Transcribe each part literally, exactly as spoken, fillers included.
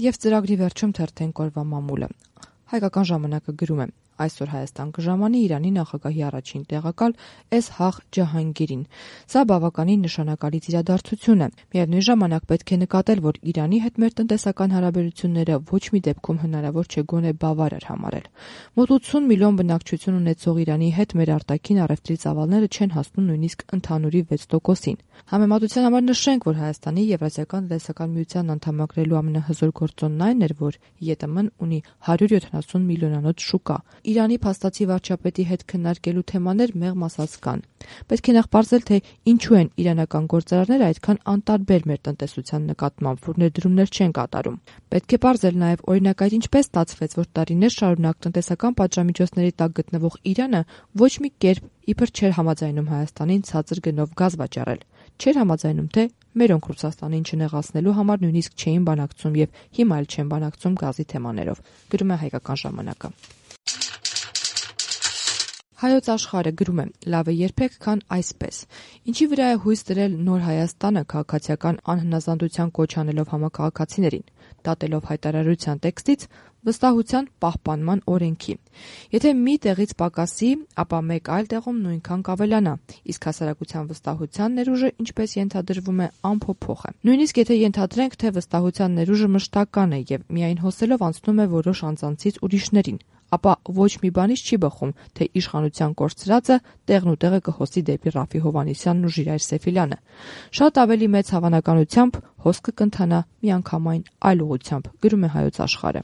եւ ծրագրի վերջում թերթեն կորվա մամուլը։ Հայկական ժամանակը գրում է. այսօր Հայաստան կժամանի Իրանի նախագահի առաջին տեղակալ Էսհաղ Ջահանգիրին։ Սա բավականին նշանակալից իրադարձություն է։ Միևնույն ժամանակ պետք է նկատել, որ Իրանի հետ մեր տնտեսական հարաբերությունները ոչ մի դեպքում հնարավոր չէ գոնե բավարար համարել։ Մոտ ութսուն միլիոն բնակչություն ունեցող Իրանի հետ մեր արտաքին առևտրի ծավալները չեն հասնում նույնիսկ ընդհանուրի վեց տոկոսին։ Համեմատության համար նշենք, որ Հայաստանի Եվրասիական տնտեսական միության անդամակրելու ամենահզոր գործոնն այն էր, որ ԵՏՄ-ն ունի հարյուր յոթանասուն միլիոնանոց շուկա։ Իրանի փաստացի վարչապետի հետ քննարկելու թեմաներ մեղմ ասած կան։ Պետք է նախ պարզել, թե ինչու են իրանական գործարարները այդքան անտարբեր մեր տնտեսության նկատմամբ, որ ներդրումներ չեն կատարում։ Պետք է պարզել նաև օրինակ այդ ինչպես ստացվեց, որ տարիներ շարունակ տնտեսական պատժամիջոցների տակ գտնվող Իրանը ոչ մի կերպ իբր չէր համաձայնում Հայաստանին ցածր գնով գազ վաճառել։ Չէր համաձայնում, թե մերոնք Ռուսաստանին չնեղացնելու համար նույնիսկ չէին բանակցում եւ հիմա էլ չեն բանակցում գազի թեմաներով։ Գրում է Հայկական ժամանակը։ Հայոց աշխարհը գրում է. լավ է երբեք քան այսպես։ Ինչի վրա է հույս դրել նոր Հայաստանը քաղաքացիական անհնազանդության կոչ անելով համակարգացիներին, դատելով հայտարարության տեքստից վստահության պահպանման օրենքի։ Եթե մի տեղից պակասի, ապա մեկ այլ տեղում նույնքան կավելանա, իսկ հասարակության վստահության ներուժը, ինչպես ենթադրվում է, անփոփոխ է։ Նույնիսկ եթե ենթադրենք, թե վստահության ներուժը մշտական է եւ միայն հոսելով անցնում է որոշ անձանցից ուրիշներին, ապա ոչ մի բանից չի բխում, թե իշխանության կորցրածը տեղն ու տեղը կհոսի դեպի Ռաֆի Հովհաննիսյանն ու Ժիրայր Սեֆիլյանը։ Շատ ավելի մեծ հավանականությամբ հոսքը կընթանա միանգամայն այլ ուղղությամբ, գրում է Հայոց աշխարհը։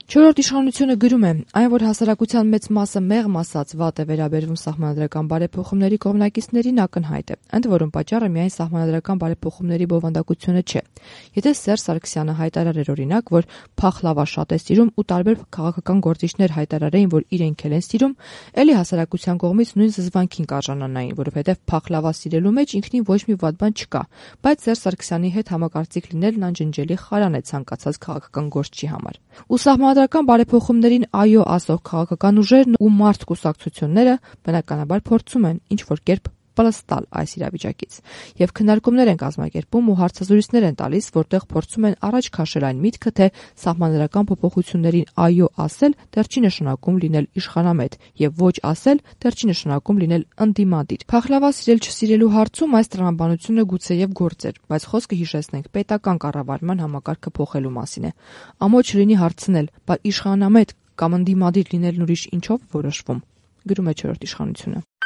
Չորրորդ իշխանությունը գրում է. այն, որ հասարակության մեծ մասը մեղմ ասած վատ է վերաբերվում սահմանադրական բարեփոխումների կողմնակիցներին, ակնհայտ է, ընդ որում պատճառը միայն սահմանադրական բարեփոխումների բովանդակությունը չէ։ Եթե Սերժ Սարգսյանը հայտարարեր օրինակ, որ փախլավա շատ է սիրում ու տարբեր քաղաքական գործիչներ հայտարարեին, որ իրենք էլ են սիրում, էլի հասարակության կողմից նույն զզվանքին կարժանանային, որովհետև փախլավա սիրելու մեջ ինքնին ոչ մի վատ բան չկա, բայց Սերժ Սարգսյանի հետ համակարծիք լինելն անջնջելի խարան է ցանկացած քաղաքական գործչի համար։ Ու սահմանադրական բարեփոխումներին այո ասող քաղաքական ուժերն ու մարդ կուսակցությունները բնականաբար փորձում են ինչ-որ կերպ պլստալ այս իրավիճակից եւ քննարկումներ են կազմակերպում ու հարցազրույցներ են տալիս, որտեղ փորձում են առաջ քաշել այն միտքը, թե սահմանադրական փոփոխություններին այո ասել դեռ չի նշանակում լինել իշխանամետ եւ ոչ ասել դեռ չի նշանակում լինել ընդդիմադիր։ Փախլավա սիրել չսիրելու հարցում այս տրամաբանությունը գուցեև գործ էր, բայց խոսքը հիշեցնենք պետական կառավարման համակարգը փոխելու մասին է։ Ամոչ լինի հարցնել, բայց իշխանամետ կամ ընդդիմադիր լինելն ուրիշ ինչով որոշվում, գրում է չորրորդ իշխանությունը։